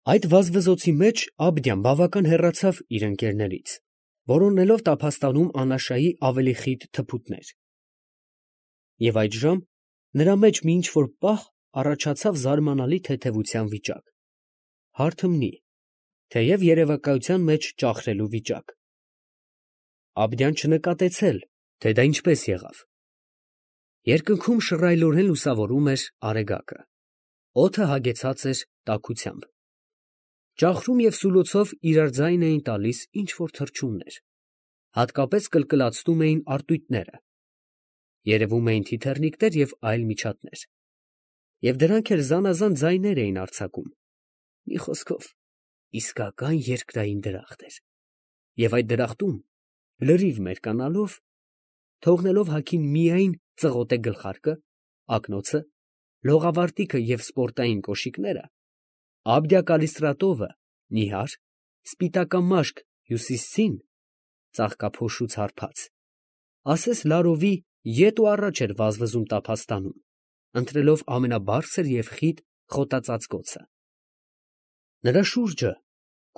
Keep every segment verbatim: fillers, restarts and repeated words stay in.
Այդ վազվզոցի մեջ Աբդյան բավական հեռացավ իր ընկերներից, որոնելով տափաստանում Անաշայի ավելի խիտ թփուտներ. և այդժամ նրա մեջ մի ինչ֊որ պահ առաջացավ զարմանալի թեթևության վիճակ, հարթմնի, թեև երևակայության մեջ ճախրելու վիճակ. Աբդյան չնկատեց էլ, թե դա ինչպես եղավ. երկնքում շռայլորեն լուսավորում էր արեգակը, օդը հագեցած էր տաքությամբ, ճախրում և սուլոցով իրար ձայն էին տալիս ինչ֊որ թռչուններ, հատկապես կլկլացնում էին արտույտները, երևում էին թիթեռնիկներ և այլ միջատներ, և դրանք էլ զանազան ձայներ էին արձակում, մի խոսքով, իսկական երկրային դրախտ էր, և այդ դրախտում, լրիվ մերկանալով, թողնելով հագին միայն ծղոտե գլխարկը, ակնոցը, լողավարտիքը և սպորտային կոշիկները, Աբդյա֊Կալիստրատովը նիհար, սպիտակամաշկ հյուսիսցին, ծաղկափոշուց հարբած, ասես լարովի ետ ու առաջ էր վազվզում տափաստանում, ընտրելով ամենաբարձր և խիտ խոտածածկոցը. նրա շուրջը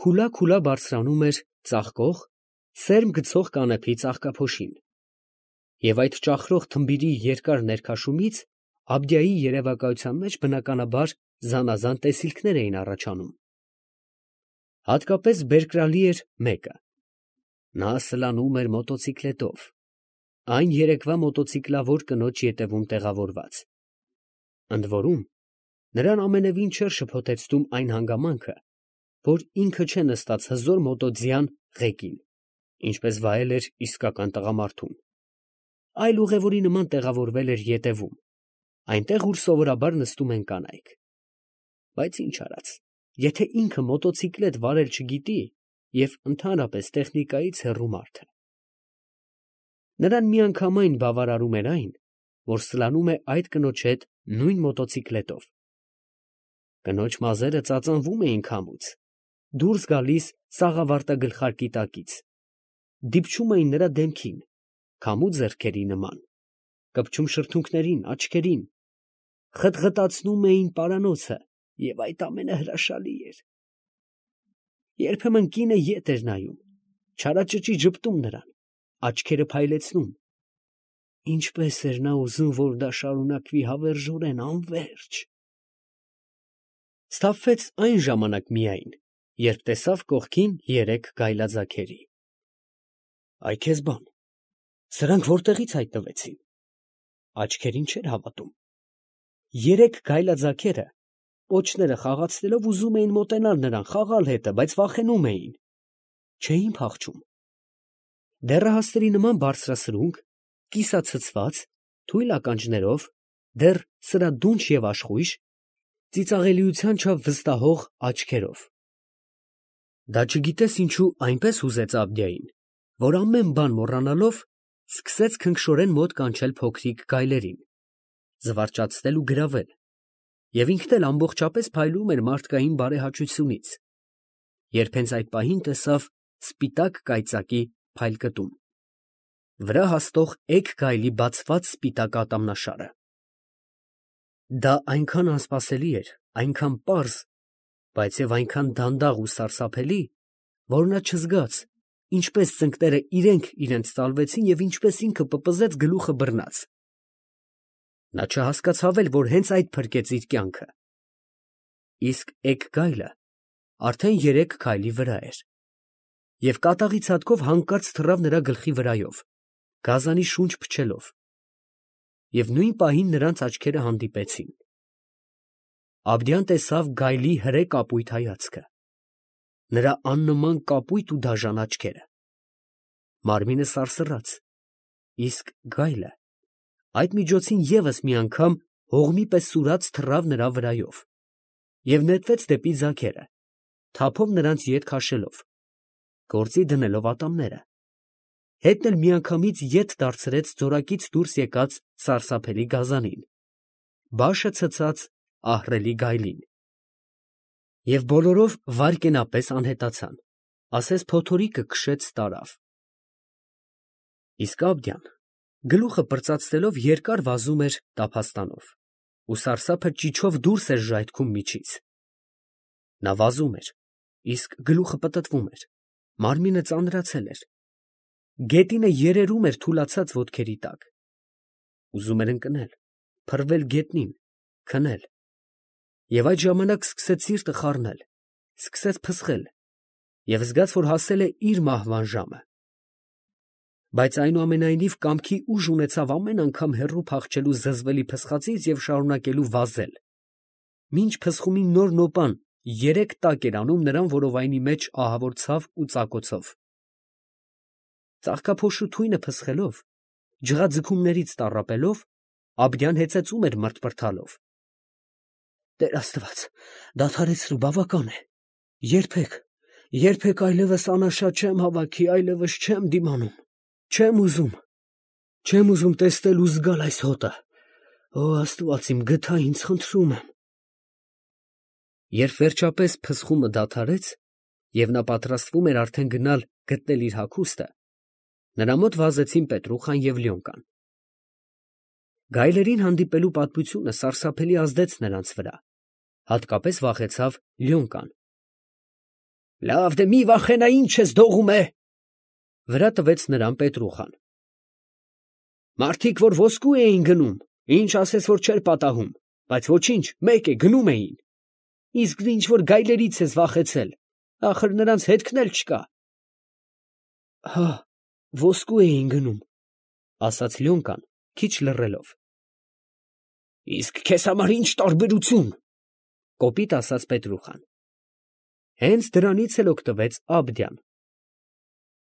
քուլա֊քուլա բարձրանում էր ծաղկող, սերմ գցող կանեփի ծաղկափոշին, և այդ ճախրող թմբիրի երկար ներքաշումից Աբդյայի երևակայության մեջ բնականաբար զանազան տեսիլքներ էին առաջանում. հատկապես բերկրալի էր մեկը. նա սլանում էր մոտոցիկլետով, այն երեկվա մոտոցիկլավոր կնոջ ետևում տեղավորված, ընդ որում, նրան ամենևին չէր շփոթեցնում այն հանգամանքը, որ ինքը չէ նստած հզոր մոտո ձյան ղեկին, ինչպես վայել էր իսկական տղամարդուն, այլ ուղևորի նման տեղավորվել էր ետևում, այնտեղ, ուր սովորաբար նստում են կանայք, բայց ինչ արած, եթե ինքը մոտոցիկլետ վարել չգիտի և ընդհանրապես տեխնիկայից հեռու մարդ է. նրան միանգամայն բավարարում էր այն, որ սլանում է այդ կնոջ հետ նույն մոտոցիկլետով, կնոջ մազերը ծածանվում էին քամուց, դուրս գալիս սաղավարտագլխարկի տակից, դիպչում էին նրա դեմքին, քամու ձեռքերի նման, կպչում շրթունքներին, աչքերին, խտղտացնում էին պարանոցը, և այդ ամենը հրաշալի էր. երբեմն կինը ետ էր նայում, չարաճճի ժպտում նրան, աչքերը փայլեցնում, ինչպես էր նա ուզում, որ դա շարունակվի հավերժորեն անվերջ… Սթափվեց այն ժամանակ միայն, երբ տեսավ կողքին երեք գայլաձագերի… Ա՜յ քեզ բան, սրանք ո՞րտեղից հայտնվեցին… աչքերին չէր հավատում… երեք գայլաձագերը, պոչները խաղացնելով ուզում էին մոտենալ նրան, խաղալ հետը, բայց վախենում էին… չէին փախչում… դեռահասների նման բարձրասրունք, կիսացցված, թույլ ականջներով, դեռ սրադունչ և աշխույժ, ծիծաղելիության չափ վստահող աչքերով… Դա չգիտես ինչու այնպես հուզեց Աբդյային, որ ամեն բան մոռանալով, սկսեց քնքշորեն մոտ կանչել փոքրիկ գայլերին, զվարճացնել ու գրավել, և ինքն էլ ամբողջապես փայլում էր մարդկային բարեհաճությունից, երբ հենց այդ պահին տեսավ սպիտակ կայծակի փայլկտում, վրա հասնող էգ գայլի բացված սպիտակ ատամնաշարը… Դա այնքան անսպասելի էր, այնքան պարզ, բայց և այնքան դանդաղ ու սարսափելի, որ նա չզգաց ինչպես ծնկները իրենք իրենց ծալվեցին և ինչպես ինքը պպզեց գլուխը բռնած… Նա չհասկացավ էլ, որ հենց այդ փրկեց իր կյանքը… Իսկ էգ գայլը արդեն երեք քայլի վրա էր, և կատաղի ցատկով հանկարծ թռավ նրա գլխի վրայով, գազանի շունչ փչելով… և նույն պահին նրանց աչքերը հանդիպեցին… Աբդյան տեսավ գայլի հրե կապույտ հայացքը, նրա աննման կապույտ ու դաժան աչքերը… Մարմինը սարսռաց, իսկ գայլը այդ միջոցին ևս մի անգամ հողմի պես սուրաց թռավ նրա վրայով և նետվեց դեպի ձագերը, թափով նրանց ետ քաշելով, գործի դնելով ատամները, հետն էլ միանգամից ետ դարձրեց ձորակից դուրս եկած սարսափելի գազանին, բաշը ցցած ահռելի գայլին… և բոլորով վայրկենապես անհետացան, ասես փոթորիկը քշեց տարավ… Իսկ Աբդյան գլուխը պրծացնելով երկար վազում էր տափաստանով ու սարսափը ճիչով դուրս էր ժայթքում միջից… Նա վազում էր, իսկ գլուխը պտտվում էր, մարմինը ծանրացել էր, գետինը երերում էր թուլացած ոտքերի տակ։ Ուզում էր ընկնել, փռվել գետնին, քնել, և այդ ժամանակ սկսեց սիրտը խառնել, սկսեց փսխել և զգաց, որ հասել է իր մահվան ժամը։ Բայց այնուամենայնիվ կամքի ուժ ունեցավ ամեն անգամ հեռու փախչելու զզվելի փսխածից և շարունակելու վազել, մինչ փսխումի նոր նոպան երեք տակ էր անում նրան որովայնի մեջ ահավոր ցավ ու ծակոցով։ Ծաղկափոշու թույնը փսխելով, ջղաձգումներից տառապելով, Աբդյան հեծեծում էր մռթմռթալով. «Տեր Աստված, դադարեցրու, բավական է, երբեք, երբեք այլևս անաշատ չեմ հավաքի, այլևս չեմ դիմանում, չեմ ուզում, չեմ ուզում տեսնել ու զգալ այս հոտը, օ Աստված իմ, գթա ինձ, խնդրում եմ»։ Երբ վերջապես փսխումը դադարեց, և նա պատրաստվում էր արդեն գնալ գտնել իր հագուստը, նրա մոտ վազեցին Պետրուխան և Լյոնկան։ Գայլերին հանդիպելու պատմությունը սարսափելի ազդեց նրանց վրա, հատկապես վախեցավ Լյոնկան։ «Լավ, դե մի վախենա, ինչ ես դողում է», վրա տվեց նրան Պետրուխան։ «Մարդիկ, որ ոսկու էին գնում, ինչ ասես, որ չէր պատահում, բայց ոչինչ, մեկ է, գնում էին, իսկ դու ինչ որ գայլերից ես վախեցել, ախր նրանց հետքն էլ չկա»։ «Հա, ոսկու էին գնում», ասաց Լյոնկան, քիչ լռելով։ «Իսկ քեզ համար ինչ տարբերություն», կոպիտ ասաց Պետրուխան։ Հենց դրանից էլ օգտվեց Աբդյան։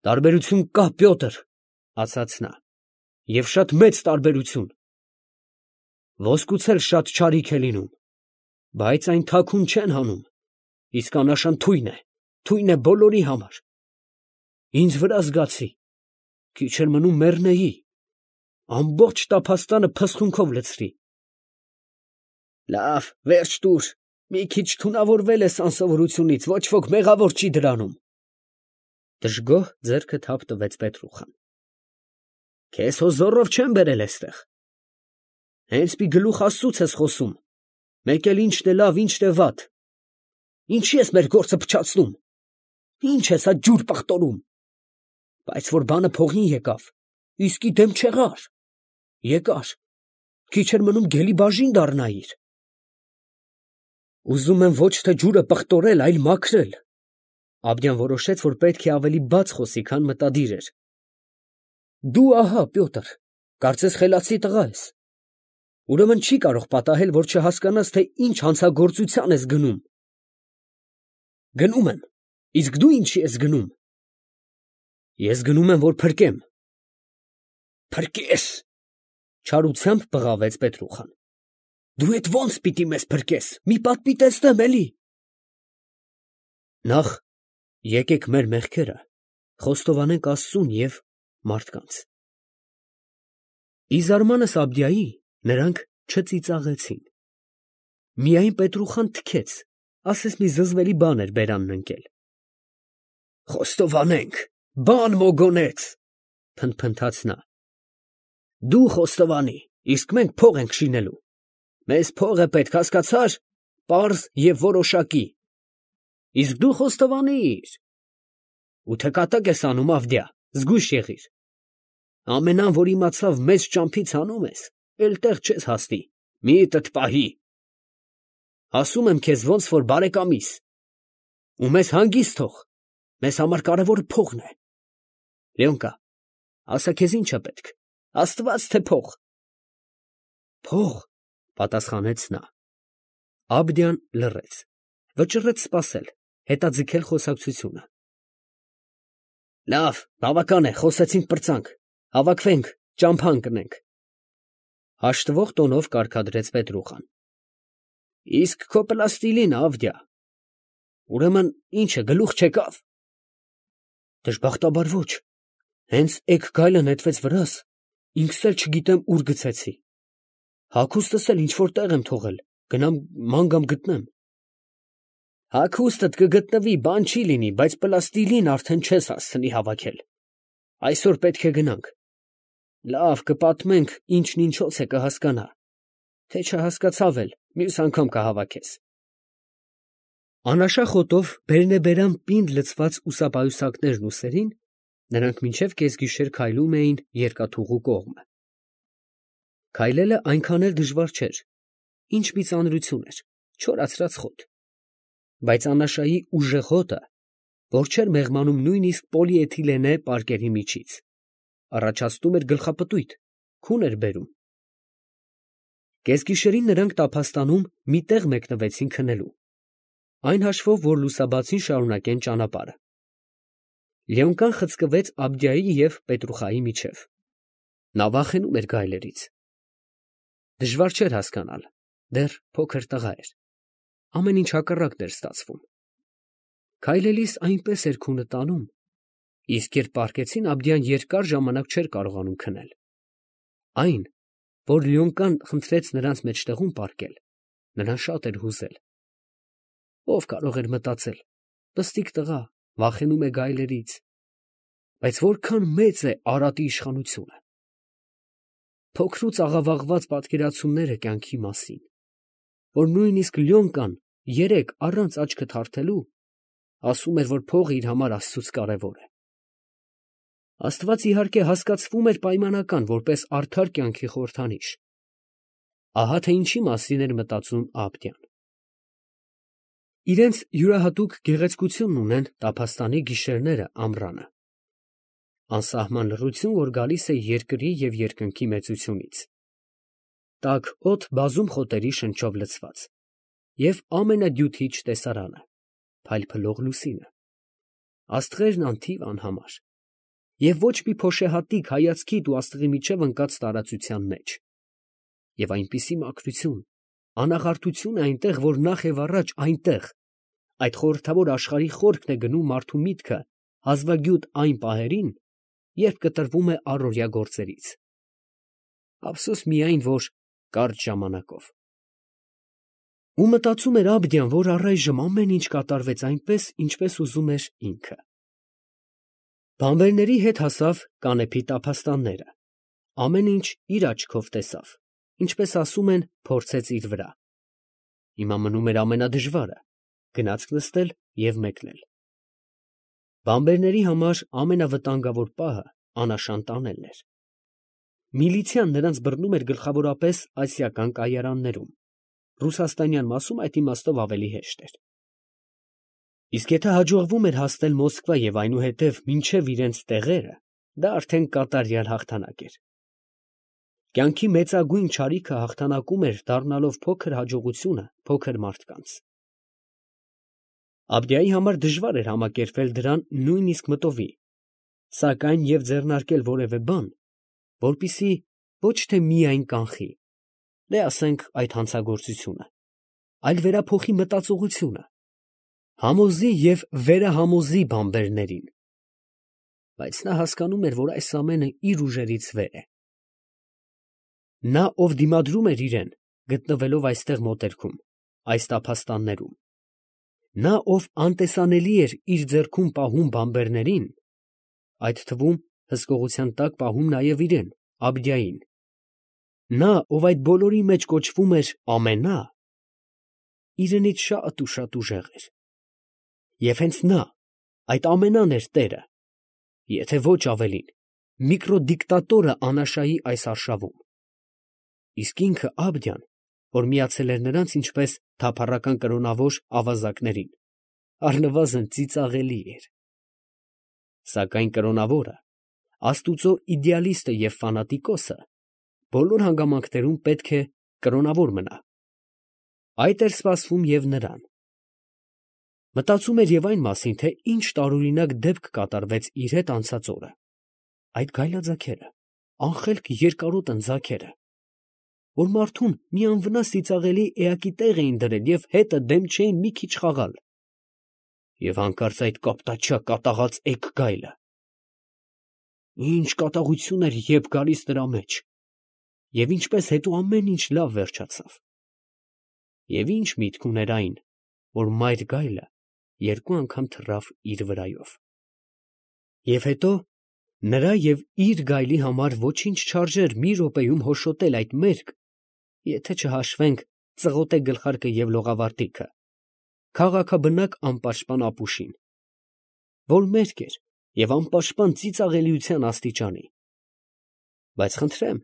«Տարբերություն կա, Պյոտր, ասաց նա, և շատ մեծ տարբերություն. ոսկուց էլ շատ չարիք է լինում, բայց այն թաքուն չեն հանում, իսկ աննշան թույն է, թույն է բոլորի համար։ Ինձ վրա զգացի, քիչ էր մնում մեռնեի, ամբողջ տափաստանը փսխունքով լցրի։ Լավ, վերջ տուր, մի քիչ թունավորվել ես անսովորությունից, ոչ ոք մեղավոր չի դրանում։ Դժգոհ ձեռքը թափ տվեց Պետրուխան։ Քեզ հո զոռով չեմ բերել էստեղ։ Հենց մի գլուխ Աստծուց ես խոսում, մեկ էլ ինչն է լավ, ինչն է վատ։ Ինչի ես մեր գործը փչացնում, ինչ ես հա ջուր պղտորում։ Բայց որ բանը փողին եկավ, իսկի դեմ չեղար, եկար, քիչ էր մնում գելի բաժին դառնայիր։ Ուզում եմ ոչ թե ջուրը պղտորել, այլ մաքրել։ Աբդյան որոշեց, որ պետք է ավելի բաց խոսի, քան մտադիր էր։ Դու ահա, Պյոտր, կարծես խելացի տղա ես, ուրեմն չի կարող պատահել, որ չհասկանաս, թե ինչ հանցագործության ես գնում։ Գնում եմ, իսկ դու ինչի ես գնում։ Ես գնում եմ, որ փրկեմ։ Փրկես, չարությամբ բղավեց Պետրուխան։ Դու էդ ո՞նց պիտի մեզ փրկես, մի պատմի տեսնեմ էլի։ Նախ եկեք մեր մեղքերը խոստովանենք Աստծուն և մարդկանց։ Ի զարմանս Աբդիայի նրանք չծիծաղեցին։ Միայն Պետրուխան թքեց, ասես մի զզվելի բան էր բերանն ընկել։ Խոստովանենք, բան մոգոնեց, փնթփնթաց նա։ Դու խոստովանի, իսկ մենք փող ենք շինելու։ Մեզ փող է պետք, հասկացա՞ր, պարզ և որոշակի։ Իսկ դու խոստովանիր։ Ու թե կատակ ես անում, Ավդիա, զգույշ եղիր։ Ամեն ան, որ իմացավ մեզ ճամփից հանում ես, էլ տեղ չես հասնի, միտդ պահի։ Ասում եմ քեզ ոնց որ բարեկամիս։ Ու մեզ հանգիստ թող, մեզ համար կարևորը փողն է։ Լյոնկա, ասա քեզ ինչ է պետք, Աստված թե փող։ Փող, պատասխանեց նա։ Աբդյան լռեց, վճռեց սպասել, հետաձգել խոսակցությունը։ Լավ, բավական է, խոսեցինք պրծանք, հավաքվենք, ճամփա ընկնենք։ Հաշտվող տոնով կարգադրեց Պետրուխան։ Իսկ քո պլաստիլին, Ավդիա։ Ուրեմն ինչ է, գլուխ չեկավ։ Դժբախտաբար ոչ, հենց էգ գայլը նետվեց վրաս, ինքս էլ չգիտեմ ուր գցեցի։ Հագուստս էլ ինչ որ տեղ եմ թողել, գնամ ման գամ գտնեմ։ Հագուստդ կգտնվի, բան չի լինի, բայց պլաստիլին արդեն չես հասցնի հավաքել։ Այսօր պետք է գնանք։ Լավ, կպատմենք, ինչն ինչոց է, կհասկանա։ Թե չհասկացավ էլ, մյուս անգամ կհավաքես։ Անաշախոտով բերնեբերան պինդ լցված ուսապայուսակներն ուսերին, նրանք մինչև կեսգիշեր քայլում էին երկաթուղու կողմը։ Քայլելը այնքան էլ դժվար չէր, ինչ մի ծանրություն էր, չորացրած խոտ, բայց Անաշայի ուժեղ հոտը, որ չէր մեղմանում նույնիսկ պոլիէթիլենե պարկերի միջից, առաջացնում էր գլխապտույտ, քուն էր բերում։ Կեսգիշերին նրանք տափաստանում մի տեղ մեկնվեցին քնելու, այն հաշվով, որ լուսաբացին շարունակեն ճանապարհը։ Լեոնկան խցկվեց Աբդիայի և Պետրուխայի միջև։ Նա վախենում էր գայլերից։ Դժվար չէր հասկանալ, դեռ փոքր տղա էր, ամեն ինչ հակառակն էր ստացվում։ Քայլելիս այնպես էր քունը տանում, իսկ երբ պառկեցին, Աբդիան երկար ժամանակ չէր կարողանում քնել։ Այն, որ Լեոնկան խնդրեց նրանց մեջտեղում պառկել, նրան շատ էր հուզել։ Ով կարող էր մտածել, պստիկ տղա վախենում է գայլերից, բայց որքան մեծ է Արատի իշխանությունը։ Փոքրուց աղավաղված պատկերացումները կյանքի մասին, որ նույնիսկ Լեոնկան երեկ առանց աչքը թարթելու ասում էր, որ փողը իր համար Աստծուց կարևոր է։ Աստված իհարկե հասկացվում էր պայմանական, որպես արդար կյանքի խորհրդանիշ։ Ահա թե ինչի մասին էր մտածում Աբդիան։ Իրենց յուրահատուկ գեղեցկությունն ունեն տափաստանի գիշերները ամռանը, անսահման լռություն, որ գալիս է երկրի և երկնքի մեծությունից, տաք օդ բազում խոտերի շնչով լցված, և ամենադյութիչ տեսարանը, փայլփլող լուսինը, աստղերն անթիվ անհամար, և ոչ մի փոշեհատիկ հայացքիդ ու աստղի միջև ընկած տարածության մեջ, և այնպիսի մաքրություն, անաղարտություն է այնտեղ, որ նախ և առաջ այնտեղ, այդ խորհրդավոր աշխարհի խորքն է գնում մարդու միտքը հազվագյուտ այն պահերին, երբ կտրվում է առօրյա գործերից։ Ափսոս միայն, որ կարճ ժամանակով։ Ու մտածում էր Աբդիան, որ առայժմ ամեն ինչ կատարվեց այնպես, ինչպես ուզում էր ինքը։ Բանվերների հետ հասավ Կանեփի տափաստանները, ամեն ինչ իր աչքով տեսավ, ինչպես ասում են, փորձեց իր վրա։ Հիմա մնում էր ամենադժվարը՝ գնացք նստել և մեկնել։ Բանվերների համար ամենավտանգավոր պահը Անաշան տանելն էր։ Միլիցիան նրանց բռնում էր գլխավորապես ասիական կայարաններում, ռուսաստանյան մասում այդ իմաստով ավելի հեշտ էր։ Իսկ եթե հաջողվում էր հասնել Մոսկվա և այնուհետև մինչև իրենց տեղերը, դա արդեն կատարյալ հաղթանակ էր։ Կյանքի մեծագույն չարիքը հաղթանակում էր, դառնալով փոքր հաջողությունը փոքր մարդկանց։ Աբդիայի համար դժվար էր համակերպվել դրան նույնիսկ մտովի, սակայն և ձեռնարկել որևէ բան, որպեսզի ոչ թե միայն կանխի, դե ասենք այդ հանցագործությունը, այլ վերափոխի մտածողությունը, համոզի և վերահամոզի բանվերներին։ Բայց նա հասկանում էր, որ այս ամենը իր ուժերից վեր է։ Նա, ով դիմադրում էր իրեն, գտնվելով այստեղ մոտերքում, այս տափաստաններում, նա, ով անտեսանելի էր իր ձեռքում պահում բանվերներին, այդ թվում հսկողության տակ պահում նաև իրեն, Աբդիային, նա, ով այդ բոլորի մեջ կոչվում էր ամենա, իրենից շատ ու շատ ուժեղ էր։ Եվ հենց նա, այդ ամենան էր տերը, եթե ոչ ավելին, միկրոդիկտատորը Անաշայի այս արշավում։ Իսկ ինքը Աբդիան, որ միացել էր նրանց ինչպես թափառական կրոնավոր ավազակներին, առնվազն ծիծաղելի էր։ Սակայն կրոնավորը, աստուծո իդեալիստը և ֆանատիկոսը բոլոր հանգամանքներում պետք է կրոնավոր մնա։ Այդ էր սպասվում և նրան։ Մտածում էր և այն մասին, թե ինչ տարօրինակ դեպք կատարվեց իր հետ անցած օրը, այդ գայլաձագերը, անխելք երկարոտն ձագերը, որ մարդուն մի անվնաս ծիծաղելի էակի տեղ էին դրել և հետը դեմ չէին մի քիչ խաղալ, և հանկարծ այդ կապտաչյա կատաղած էգ գայլը… Ինչ կատաղություն էր եբ գալիս նրա մեջ, և ինչպես հետո ամեն ինչ լավ վերջացավ… Եվ ի՞նչ միտք ուներ այն, որ մայր գայլը երկու անգամ թռավ իր վրայով… Եվ հետո նրա և իր գայլի համար ոչինչ չարժեր մի րոպեում հոշոտել այդ մերկ, եթե չհաշվենք ծղոտե գլխարկը և լողավարտիքը, քաղաքաբնակ անպաշտպան ապուշին, որ մերկ էր և անպաշտպան ծիծաղելիության աստիճանի։ Բայց խնդրեմ,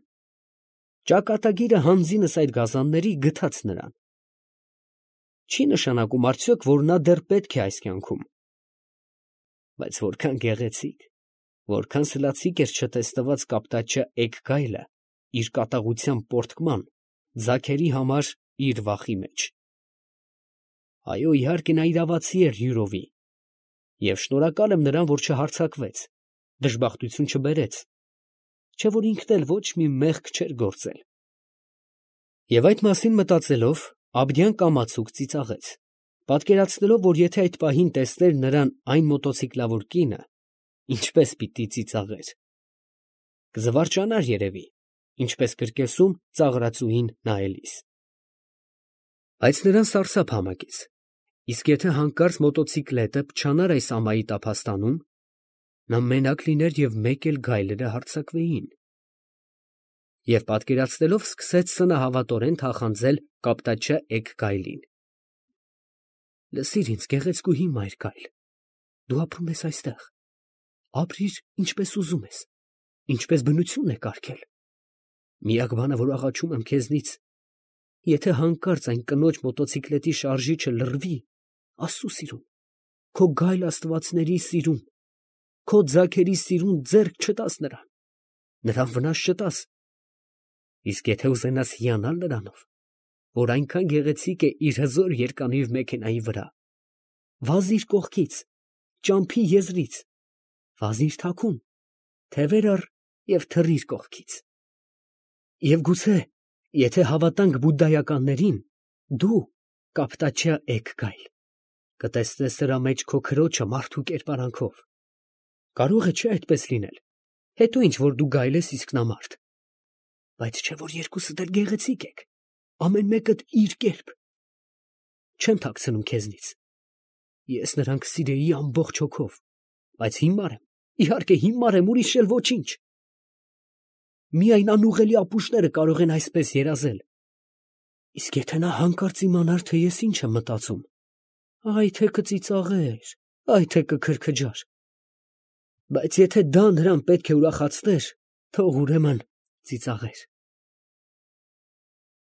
ճակատագիրը հանձինս այդ գազանների գթած նրան։ Չի նշանակում արդյոք, որ նա դեռ պետք է այս կյանքում։ Բայց որքան գեղեցիկ, որքան սլացիկ էր չտեսնված կապտաչյա էգ գայլը իր կատաղության պոռթկման, ձագերի համար իր վախի մեջ։ Այո, իհարկե, նա իրավացի էր յուրովի, և շնորհակալ եմ նրան, որ չհարձակվեց, դժբախտություն չբերեց, չէ որ ինքն էլ ոչ մի մեղք չէր գործել։ Եվ այդ մասին մտածելով, Աբդյան կամացուկ ծիծաղեց, պատկերացնելով, որ եթե այդ պահին տեսներ նրան այն մոտոցիկլավոր կինը, ինչպես պիտի ծիծաղեր։ Կզվարճանար երևի, ինչպես կրկեսում ծաղրածուին նայելիս։ Բայց նրան սարսափ համակեց, իսկ եթե հանկարծ մոտոցիկլետը փչանար այս ամայի տափաստանում, նա մենակ լիներ և մեկ էլ գայլերը հարձակվեին։ Եվ պատկերացնելով սկսեց սնահավատորեն թախանձել կապտաչյա էգ գայլին։ Լսիր ինձ, գեղեցկուհի մայր գայլ, դու ապրում ես այստեղ, ապրիր ինչպես ուզում ես, ինչպես բնությունն է կարգել։ Միակ բանը, որ աղաչում եմ քեզնից, եթե հանկարծ այն կնոջ մոտոցիկլետի շարժիչը լռվի, Աստծու սիրուն, քո գայլ աստվածների սիրուն, քո ձագերի սիրուն ձեռք չտաս նրան, նրան վնաս չտաս։ Իսկ եթե ուզենաս հիանալ նրանով, որ այնքան գեղեցիկ է իր հզոր երկանիվ մեքենայի վրա, վազիր կողքից, ճամփի եզրից, վազիր թաքուն, թևեր առ և թռիր կողքից։ Եվ գուցե, եթե հավատանք բուդդայականներին, դու, կապտաչյա էգ գայլ, կտեսնես նրա մեջ քո քրոջը մարդու կերպարանքով։ Կարող է չէ այդպես լինել, հետո ինչ որ դու գայլ ես, իսկ նա մարդ։ Բայց չէ որ երկուսդ էլ գեղեցիկ եք, ամեն մեկդ իր կերպ։ Չեմ թաքցնում քեզնից, ես նրան կսիրեի ամբողջ հոգով, բայց հիմար եմ, իհարկե հիմար եմ, ուրիշ էլ ոչինչ։ Միայն անուղղելի ապուշները կարող են այսպես երազել։ Իսկ եթե նա հանկարծ իմանար, թե ես ինչ եմ մտածում, այ թե կծիծաղեր, այ թե կքրքջար։ Բայց եթե դա նրան պետք է ուրախացներ, թող ուրեմն ծիծաղեր։